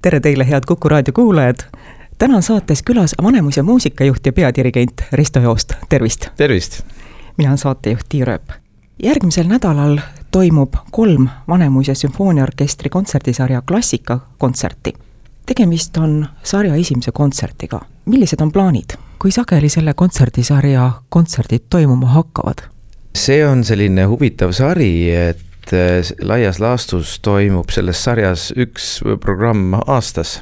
Tere teile, head Kuku raadio kuulajad! Täna on saates külas Vanemuise muusikajuht ja peadirigent Risto Joost. Tervist! Tervist! Mina on saatejuht Tiia Rööp. Järgmisel nädalal toimub 3 Vanemuise sümfooniaorkestri kontserdisarja klassikakontserti. Tegemist on sarja esimese kontsertiga. Millised on plaanid? Kui sageli selle kontserdisarja kontserdid toimuma hakkavad? See on selline huvitav sari, et laias laastus toimub selles sarjas üks programm aastas.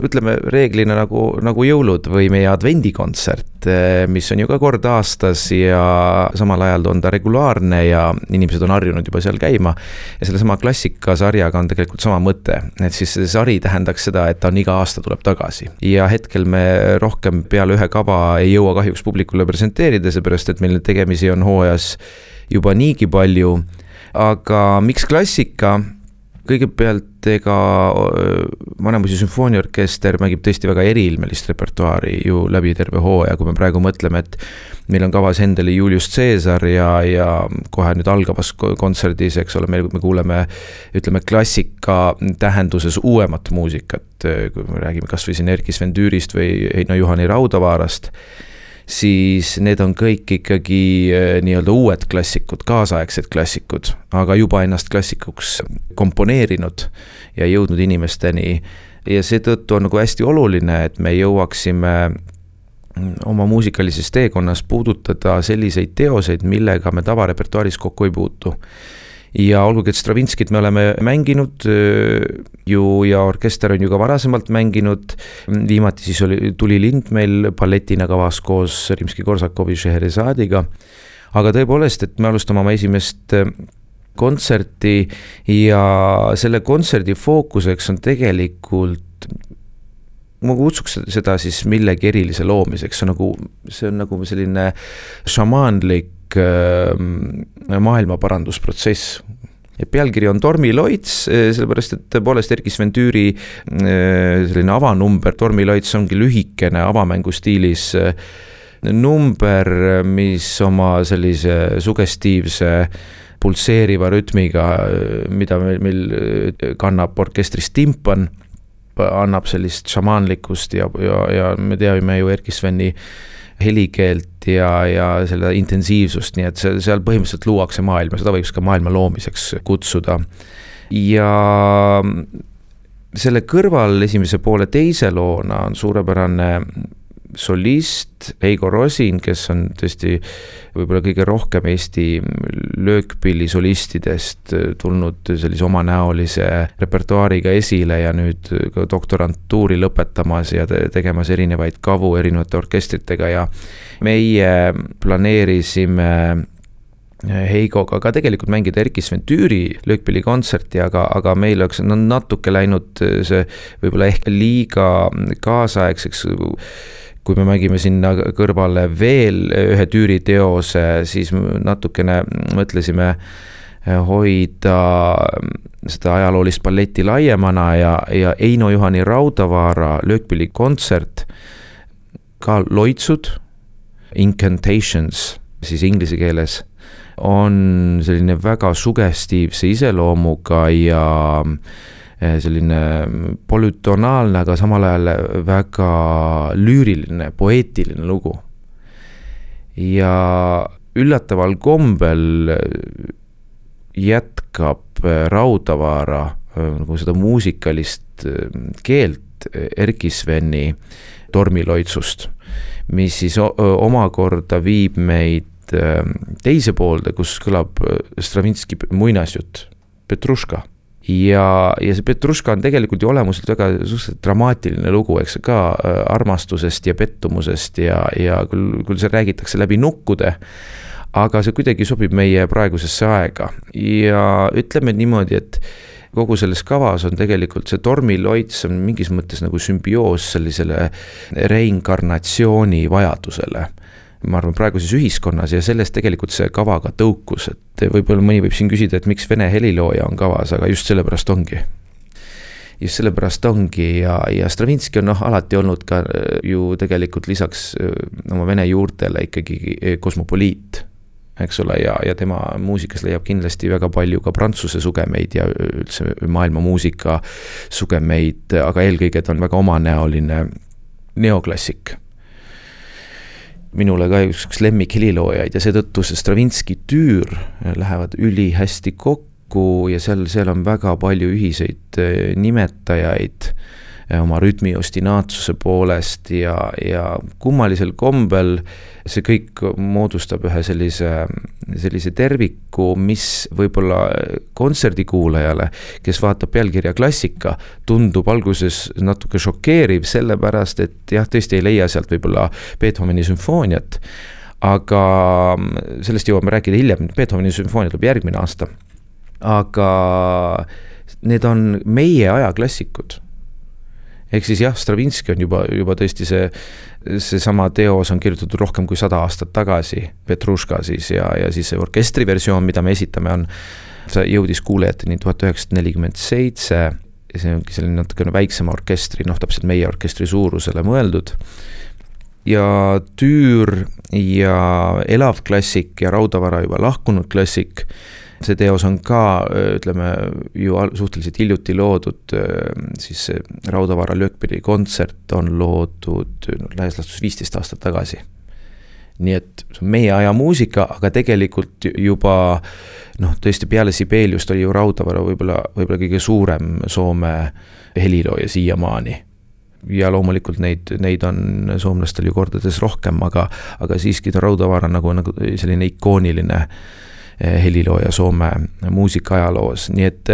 Ütleme reeglina nagu jõulud või meie advendikontsert, mis on ju ka kord aastas ja samal ajal on ta regulaarne ja inimesed on harjunud juba seal käima. Ja selle sama klassikasarjaga on tegelikult sama mõte, et siis see sari tähendaks seda, et ta on iga aasta tuleb tagasi. Ja hetkel me rohkem peale ühe kava ei jõua kahjuks publikule presenteerida, seepärast et meil tegemisi on hooajas juba niigi palju. Aga miks klassika? Kõigepealt Vanemuise sümfooniaorkester mängib tõesti väga eriilmelist repertuaari ju läbi terve hooaja, kui me praegu mõtleme, et meil on kavas Händeli Julius Caesar ja kohe nüüd algavas kontserdis, eks ole, me kuuleme, ütleme, klassika tähenduses uuemat muusikat, kui me räägime kas või siin Erkki Sven Düürist või Heino Juhani Raudavaarast, siis need on kõik ikkagi nii-öelda uued klassikud, kaasaegsed klassikud, aga juba ennast klassikuks komponeerinud ja jõudnud inimesteni. Ja seetõttu on nagu hästi oluline, et me jõuaksime oma muusikalises teekonnas puudutada selliseid teoseid, millega me tavarepertuaaris kokku ei puutu. Ja olgugi, et Stravinskit me oleme mänginud ju ja orkester on ju ka varasemalt mänginud. Viimati siis tuli Lind meil balletina kavas koos Rimski-Korsakovi Scheherazadiga. Aga tõepoolest, et me alustame oma esimest kontserti ja selle kontserdi fookuseks on tegelikult, ma kutsuks seda siis millegi erilise loomiseks, see on nagu selline šamaanlik maailmaparandusprotsess. Pealkiri on Dormiloits, sellepärast, et tõepoolest Erkki Sven Düüri selline avanumber, Dormiloits ongi lühikene avamängu stiilis number, mis oma sellise sugestiivse pulseeriva rütmiga, mida meil kannab orkestris timpan, annab sellist šamaanlikust ja me teame ju Erkki Sveni helikeelt ja selle intensiivsust, nii et seal põhimõtteliselt luuakse maailma, seda võiks ka maailma loomiseks kutsuda. Ja selle kõrval esimese poole teise loona on suurepärane solist Heigo Rosin, kes on tõesti võib-olla kõige rohkem Eesti löökpilli solistidest tulnud sellise omanäolise repertuaariga esile ja nüüd ka doktorantuuri lõpetamas ja tegemas erinevaid kavu erinevate orkestritega ja meie planeerisime Heigoga ka tegelikult mängida Erkki Sven Düüri löökpilli kontserti, aga meil oleks natuke läinud see võib-olla ehk liiga kaasaegseks. Kui me mängime sinna kõrvale veel ühe Düüri teose, siis natukene mõtlesime hoida seda ajaloolist balletti laiemana ja Heino Juhani Raudavaara löökpilli kontsert, ka loitsud, incantations, siis inglise keeles, on selline väga sugestiivse iseloomuga ja selline polütonaalne, aga samal ajal väga lüüriline, poeetiline lugu. Ja üllataval kombel jätkab Raudavaara nagu seda muusikalist keelt Erkki Sveni Dormiloitsust, mis siis omakorda viib meid teise poolde, kus kõlab Stravinski muinasjutt Petruška. Ja see Petruška on tegelikult ju olemuselt väga dramaatiline lugu, eks ka armastusest ja pettumusest ja küll see räägitakse läbi nukkude, aga see kuidagi sobib meie praegusesse aega. Ja ütleme niimoodi, et kogu selles kavas on tegelikult see Dormiloits on mingis mõttes nagu sümbioos sellisele reinkarnatsiooni vajadusele. Ma arvan praeguses ühiskonnas ja sellest tegelikult see kavaga tõukus, et võib-olla mõni võib siin küsida, et miks vene helilooja on kavas, aga just sellepärast ongi. Just sellepärast ongi ja Stravinski on alati olnud ka ju tegelikult lisaks oma vene juurtele ikkagi kosmopoliit. eks ole, ja tema muusikas leiab kindlasti väga palju ka prantsuse sugemeid ja üldse maailma muusika sugemeid, aga eelkõige ta on väga omanäoline neoklassik. Minule ka üks lemmik heliloojaid ja seetõttu see Stravinski tüür lähevad ülihästi kokku ja seal on väga palju ühiseid nimetajaid oma rütmi ostinaatsuse poolest ja kummalisel kombel see kõik moodustab ühe sellise terviku, mis võib-olla kontserdikuulajale, kes vaatab pealkirja klassika, tundub alguses natuke šokeeriv, sellepärast, et jah, tõesti ei leia sealt võib-olla Beethoveni sümfooniat, aga sellest jõuame rääkida hiljem, Beethoveni sümfoonia tuleb järgmine aasta, aga need on meie aja klassikud. Ehk siis jah, Stravinski on juba tõesti see sama teos on kirjutatud rohkem kui 100 aastat tagasi, Petruška siis ja siis see orkestri versioon, mida me esitame, jõudis kuulajateni 1947 ja see ongi selline natukene väiksema orkestri, täpselt meie orkestri suurusele mõeldud. Ja tüür ja elav klassik ja Raudavara juba lahkunud klassik, see teos on ka, ütleme, ju suhteliselt hiljuti loodud, siis Raudavara löökpilli kontsert on loodud laias laastus 15 aastat tagasi. Nii et see on meie aja muusika, aga tegelikult juba, tõesti peale Sibeliust oli ju Raudavara võib-olla kõige suurem Soome helilooja siiamaani. Ja loomulikult neid on soomlastel ju kordades rohkem, aga siiski Raudavara nagu selline ikooniline helilooja Soome muusikaajaloos. Nii et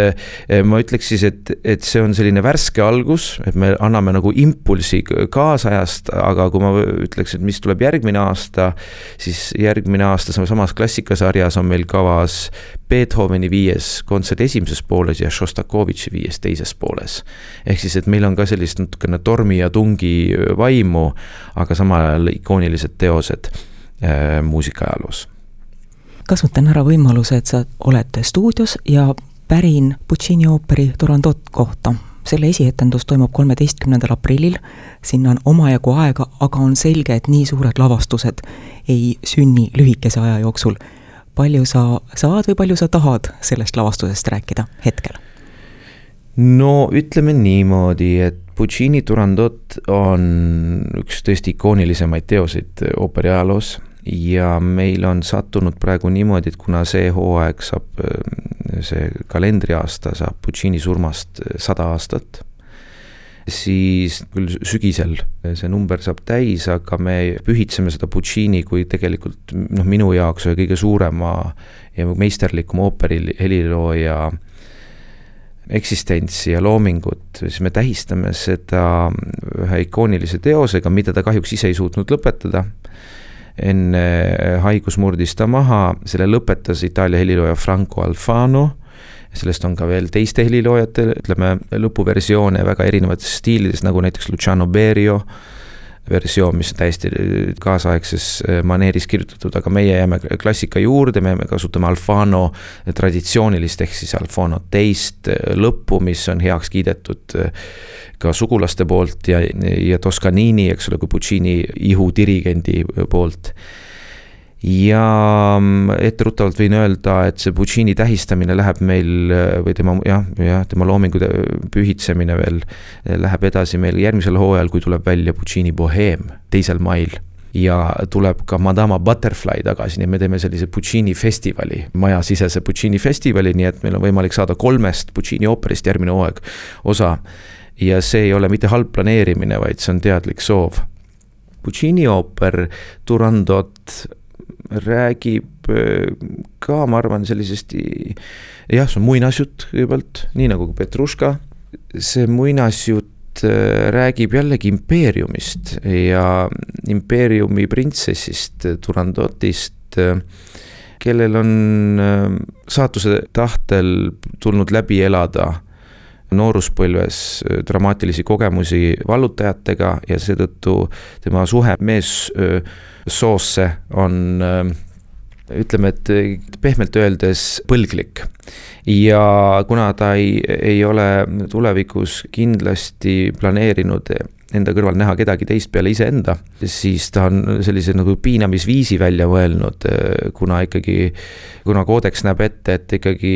ma ütleks siis, et see on selline värske algus, et me anname nagu impulsi kaasajast, aga kui ma ütleks, et mis tuleb järgmine aasta, siis järgmine aasta samas klassikasarjas on meil kavas Beethoveni 5. kontsert esimeses pooles ja Šostakovitši 5. teises pooles. Ehk siis, et meil on ka sellist natukene tormi ja tungi vaimu, aga samal ajal ikoonilised teosed muusikaajaloos. Kasutan ära võimaluse, et sa oled stuudios ja pärin Puccini ooperi Turandot kohta. Selle esietendus toimub 13. aprillil, sinna on omajagu aega, aga on selge, et nii suured lavastused ei sünni lühikese aja jooksul. Palju sa saad või palju sa tahad sellest lavastusest rääkida hetkel? No ütleme niimoodi, et Puccini Turandot on üks tõesti ikoonilisemaid teoseid ooperi ajaloos. Ja meil on sattunud praegu niimoodi, et kuna see hooaeg see kalendriaasta saab Puccini surmast 100 aastat, siis küll sügisel see number saab täis, aga me pühitseme seda Puccini kui tegelikult minu jaoks kõige suurema ja meisterlikuma ooperi helilooja eksistentsi ja loomingut, siis me tähistame seda ühe ikoonilise teosega, mida ta kahjuks ise ei suutnud lõpetada. Enne haigus murdis ta maha, selle lõpetas Itaalia helilooja Franco Alfano, sellest on ka veel teiste heliloojate, ütleme, lõpuversioone väga erinevates stiilides, nagu näiteks Luciano Berio versioon, mis on täiesti kaasaegses maneeris kirjutatud, aga meie jääme klassika juurde, me kasutame Alfano traditsioonilist, ehk siis Alfano teist lõppu, mis on heaks kiidetud ka sugulaste poolt ja Toscanini, eks ole, kui Puccini ihu dirigendi poolt. Ja etteruttavalt võin öelda, et see Puccini tähistamine läheb meil või tema loomingu pühitsemine veel läheb edasi meil järgmisel hooajal, kui tuleb välja Puccini Bohème 2. mail ja tuleb ka Madama Butterfly tagasi, nii me teeme sellise Puccini festivali, majasisese Puccini festivali, nii et meil on võimalik saada 3 Puccini ooperist järgmine hooaeg osa ja see ei ole mitte halb planeerimine, vaid see on teadlik soov. Puccini ooper Turandot räägib ka, ma arvan, sellisest, jah, see on muinasjutt kõigepealt, nii nagu Petruška. See muinasjutt räägib jällegi impeeriumist ja impeeriumi printsessist Turandotist, kellel on saatuse tahtel tulnud läbi elada nooruspõlves dramaatilisi kogemusi vallutajatega ja seetõttu tema suhe meessoosse on, ütleme, et pehmelt öeldes põlglik. Ja kuna ta ei ole tulevikus kindlasti planeerinud enda kõrval näha kedagi teist peale iseenda, siis ta on sellise nagu piinamisviisi välja mõelnud, kuna koodeks näeb ette, et ikkagi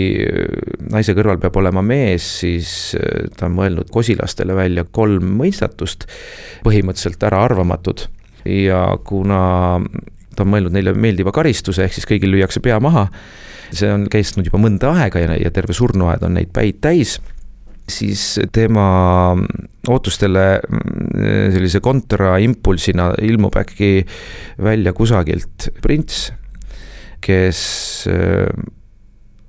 naise kõrval peab olema mees, siis ta on mõelnud kosilastele välja 3 mõistatust, põhimõtteliselt äraarvamatud. Ja kuna ta on mõelnud neile meeldiva karistuse, ehk siis kõigil lüüakse pea maha, see on kestnud juba mõnda aega ja terve surnuaed on neid päid täis, siis tema ootustele sellise kontraimpulsina ilmub äkki välja kusagilt prints, kes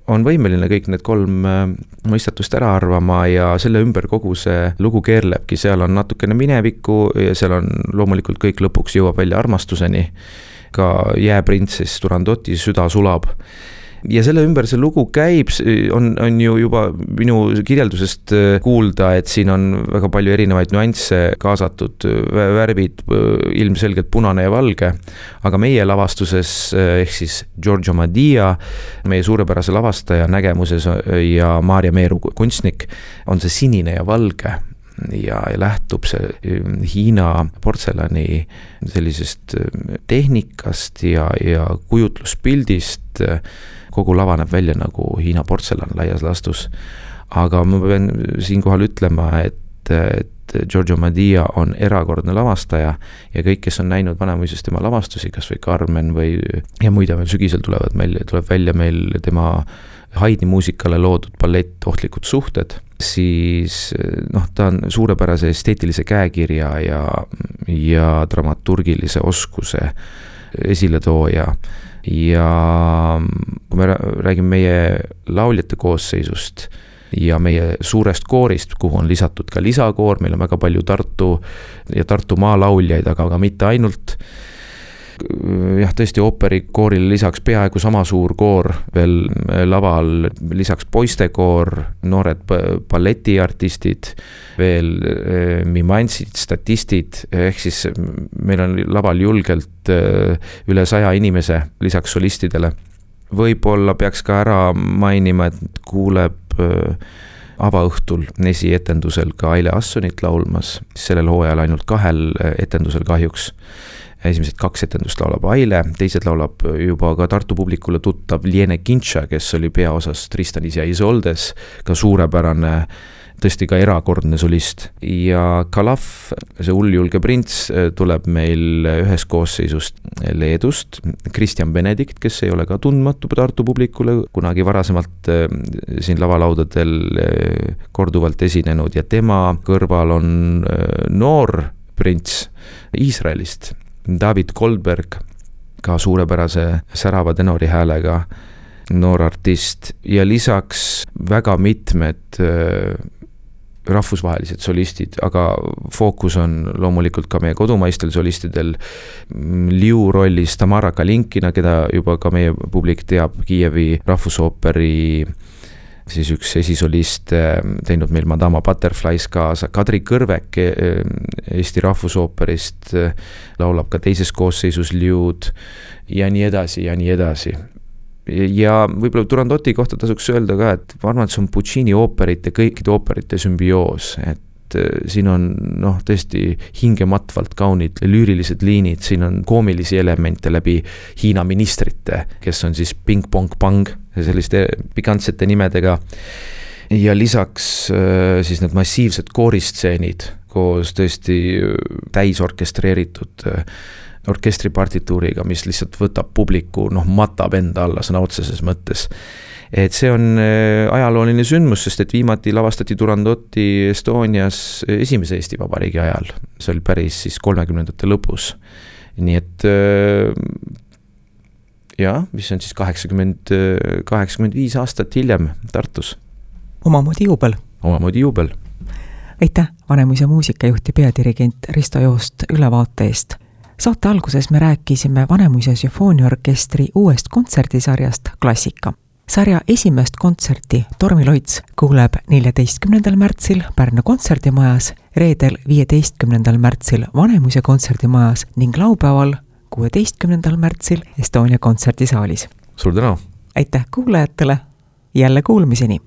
on võimeline kõik need 3 mõistatust ära arvama ja selle ümber kogu see lugu keerlebki, seal on natukene minevikku ja seal on loomulikult kõik lõpuks jõuab välja armastuseni, ka jääprintsess Turandoti süda sulab. Ja selle ümber see lugu käib, on ju juba minu kirjeldusest kuulda, et siin on väga palju erinevaid nüansse kaasatud, värvid ilmselgelt punane ja valge, aga meie lavastuses, ehk siis Giorgio Madia, meie suurepärase lavastaja nägemuses ja Maarja Meeru kunstnik, on see sinine ja valge ja lähtub see Hiina portselani sellisest tehnikast ja kujutluspildist. Kogu lava näeb välja nagu Hiina portselan laias laastus, aga ma pean siinkohal ütlema, et Giorgio Madia on erakordne lavastaja ja kõik, kes on näinud Vanemuises tema lavastusi, kas või Carmen ja muide veel sügisel tuleb välja meil tema Haydni muusikale loodud ballett Ohtlikud suhted, siis ta on suurepärase esteetilise käekirja ja dramaturgilise oskuse esiletooja ja kui me räägime meie lauljate koosseisust ja meie suurest koorist, kuhu on lisatud ka lisakoor, meil on väga palju Tartu maalauljaid, aga mitte ainult. Jah, tõesti ooperikoorile lisaks peaaegu sama suur koor veel laval, lisaks poistekoor, noored balletiartistid, veel mimantsid, statistid, ehk siis meil on laval julgelt üle 100 inimese lisaks solistidele. Võib-olla peaks ka ära mainima, et kuuleb avaõhtul esietendusel ka Aile Assonit laulmas, sellel hooajal ainult 2 etendusel kahjuks. Esimesed 2 etendust laulab Aile, teised laulab juba ka Tartu publikule tuttav Liene Kintša, kes oli peaosas Tristanis ja Isoldes, ka suurepärane, tõesti ka erakordne solist. Ja Kalav, see hulljulge prints, tuleb meil ühes koosseisust Leedust, Kristjan Benedikt, kes ei ole ka tundmatu Tartu publikule, kunagi varasemalt siin lavalaudadel korduvalt esinenud ja tema kõrval on noor prints Iisraelist, David Goldberg, ka suurepärase särava tenori häälega noor artist ja lisaks väga mitmed rahvusvahelised solistid, aga fookus on loomulikult ka meie kodumaistel solistidel. Liu rollis Tamara Kalinkina, keda juba ka meie publik teab, Kiievi rahvusooperi siis üks esisolist teinud meil Madama Butterflies kaasa, Kadri Kõrvek Eesti rahvusooperist laulab ka teises koosseisus Liud ja nii edasi ja nii edasi. Ja võib-olla Turandoti kohta tasuks öelda ka, et ma arvan, et see on Puccini ooperite, kõikide ooperite sümbioos, et siin on tõesti hingematvalt kaunid lüürilised liinid, siin on koomilisi elemente läbi Hiina ministrite, kes on siis Ping Pong Pang, selliste pikantsete nimedega ja lisaks siis need massiivsed kooristseenid koos tõesti täisorkestreeritud orkestripartituuriga, mis lihtsalt võtab publiku, matab enda alla sõna otseses mõttes. Et see on ajalooline sündmus, sest et viimati lavastati Turandoti Estonias esimese Eesti Vabariigi ajal. See oli päris siis 30ndate lõpus. Nii et mis on siis 85 aastat hiljem Tartus. Omamoodi juubel. Aitäh, Vanemuise muusikajuht ja peadirigent Risto Joost ülevaate eest. Saate alguses me rääkisime Vanemuise sümfooniaorkestri uuest kontserdisarjast Klassika. Sarja esimest kontserti Tormi Loits kuuleb 14. märtsil Pärnu kontserdimajas, reedel 15. märtsil Vanemuise kontserdimajas ning laupäeval 16. märtsil Estonia kontserdisaalis. Suur tänu! Aitäh kuulajatele, jälle kuulmiseni!